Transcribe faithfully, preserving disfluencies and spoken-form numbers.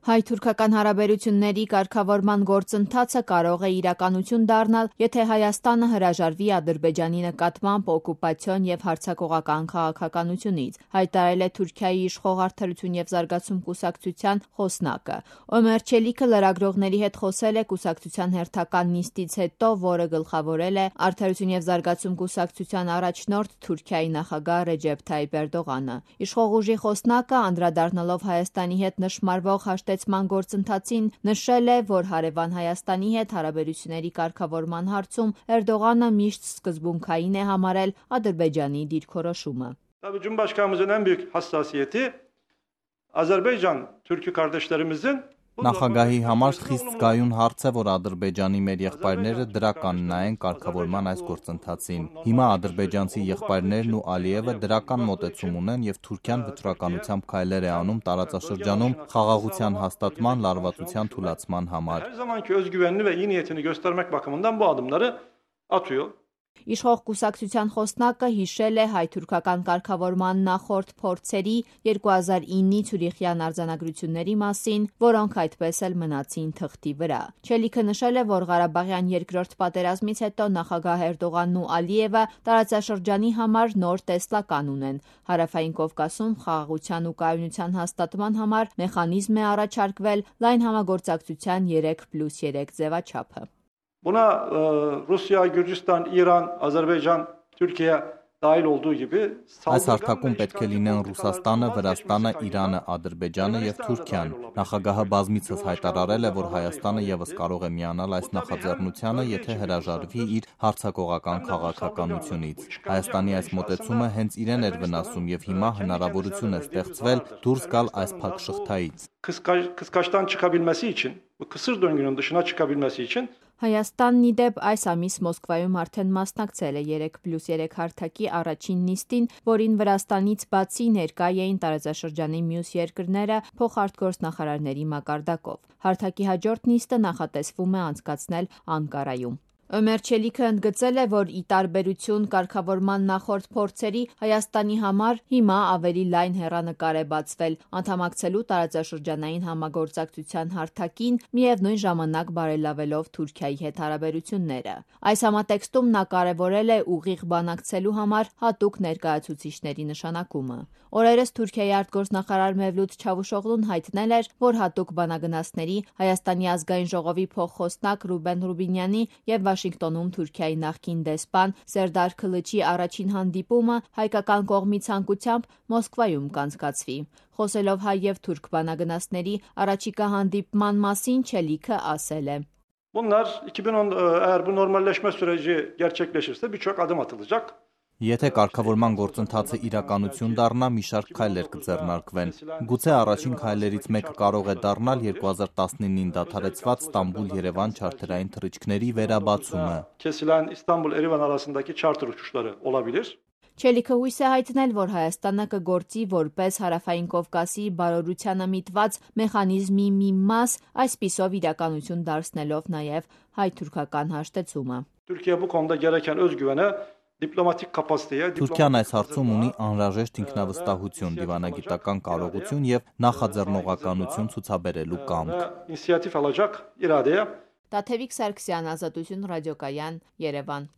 Հայ-թուրքական հարաբերությունների կարգավորման գործընթացը կարող է իրականություն դառնալ, եթե Հայաստանը հրաժարվի Ադրբեջանի նկատմամբ օկուպացիոն և հարձակողական քաղաքականությունից, հայտարարել է Թուրքիայի իշխող Արդարություն և զարգացում կուսակցության խոսնակը։ Օմեր Չելիքը լրագրողների հետ խոսել է կուսակցության հերթական նիստից հետո, որը գլխավորել է Արդարություն և զարգացում կուսակցության առաջնորդ Թուրքիայի նախագահ Ռեջեփ Թայիփ Էրդողանը։ Իշխող ուժի խոսնակը, անդրադառնալով Հայաստանի հետ նշմարվող հաշտեցման գործընթացին, նշել է, որ հարևան Հայաստանի հետ հարաբերությունների կարգավորման հարցում Էրդողանը միշտ սկզբունքային է համարել Ադրբեջանի դիրքորոշումը։ Tabii Cumhurbaşkanımızın en büyük hassasiyeti Azerbaycan Türk'ü kardeşlerimizin Նախագահի համար խիստ զգայուն հարց է, որ Ադրբեջանի մեր եղբայրները դրական նայեն կարգավորման այս գործընթացին։ Հիմա ադրբեջանցի եղբայրներն ու Ալիևը դրական մոտեցում ունեն եւ Թուրքիան վճռականությամբ քայլեր է անում տարածաշրջանում խաղաղության հաստատման, լարվածության թուլացման համար։ Her zamanki özgüvenini ve iyi niyetini göstermek bakımından bu adımları atıyor. Իշխող կուսակցության խոսնակը հիշել է հայ-թուրքական կարգավորման նախորդ փորձերի երկու հազար իննի Ցյուրիխյան արձանագրությունների մասին, որոնք այդպես էլ մնացին թղթի վրա։ Չելիքը նշել է, որ Ղարաբաղյան երկրորդ պատերազմից հետո նախագահ Էրդողանն ու Ալիևը տարածաշրջանի համար նոր տեսլական ունեն։ Հարավային Կովկասում խաղաղության ու կայունության հաստատման համար մեխանիզմ է առաջարկվել լայն համագործակցության երեք պլյուս երեք ձևաչափը։ Buna e, Rusya, Gürcistan, İran, Azerbaycan, Türkiye dahil olduğu gibi Այս հարթակում պետք է լինեն Ռուսաստանը, Վրաստանը, Իրանը, Ադրբեջանը եւ Թուրքիան։ Նախագահը բազմիցս հայտարարել է, որ Հայաստանը եւս կարող է միանալ այս նախաձեռնությանը, եթե հրաժարվի իր հարձակողական քաղաքականությունից։ Հայաստանի այս մոտեցումը հենց իրեն էր վնասում եւ հիմա հնարավորություն է ստեղծվել դուրս գալ այս փակ շղթայից։ Kıskaçtan çıkabilmesi için, bu kısır döngünün dışına çıkabilmesi için Հայաստանն ի դեպ այս ամիս Մոսկվայում արդեն մասնակցել է երեք պլյուս երեք հարթակի առաջին նիստին, որին Վրաստանից բացի ներկա էին տարածաշրջանի մյուս երկրները փոխարտգործնախարարների մակարդակով։ Հարթակի հաջորդ նիստը նախատեսվում է անցկացնել Անկարայում։ Օմեր Չելիքը ընդգծել է, որ ի տարբերություն կարգավորման նախորդ փորձերի Հայաստանի համար հիմա ավելի լայն հեռանկար է բացվել անդամակցելու տարածաշրջանային համագործակցության հարթակին, միևնույն ժամանակ բարելավելով Թուրքիայի հետ հարաբերությունները։ Այս համատեքստում նա կարևորել է ուղիղ բանակցելու համար հատուկ ներկայացուցիչների նշանակումը։ Օրերս Թուրքիայի արտգործնախարար Մևլութ Չավուշօղլուն հայտնել էր, որ հատուկ բանագնացների Հայաստանի ազգային ժողովի փոխխոսնակ Ռուբեն Ռուբինյանի եւ Վաշինգտոնում Թուրքիայի նախկին դեսպան Սերդար Քլիչի առաջին հանդիպումը հայկական կողմի ցանկությամբ Մոսկվայում կանցկացվի։ Խոսելով հայ եւ թուրք բանագնացների առաջիկա հանդիպման մասին Չելիքը ասել է. Bunlar iki bin on eğer bu normalleşme süreci gerçekleşirse birçok adım atılacak. Եթե կարգավորման գործընթացը իրականություն դառնա, մի շարք քայլեր կձեռնարկվեն։ Գուցե առաջին քայլերից մեկը կարող է դառնալ երկու հազար տասնինին դադարեցված Ստամբուլ-Երևան չարթերային թռիչքների վերաբացումը։ Kesilen İstanbul-Erivan arasındaki charter uçuşları olabilir. Չելիքը հույս է հայտնել, որ Հայաստանը կգործի որպես Հարավային Կովկասի բարօրությանը միտված մեխանիզմի մի մաս, այսպիսով իրականություն դարձնելով նաև հայ-թուրքական հաշտեցումը։ Türkiye bu konuda gereken özgüvene diplomatik kapasiteye Թուրքիան այս հարցում ունի անհրաժեշտ ինքնավստահություն, դիվանագիտական կարողություն եւ նախաձեռնողականություն ցուցաբերելու կամք։ İnisiyatif alacak iradeye Տաթևիկ Սարգսյան, Ազատություն ռադիոկայան, Երևան։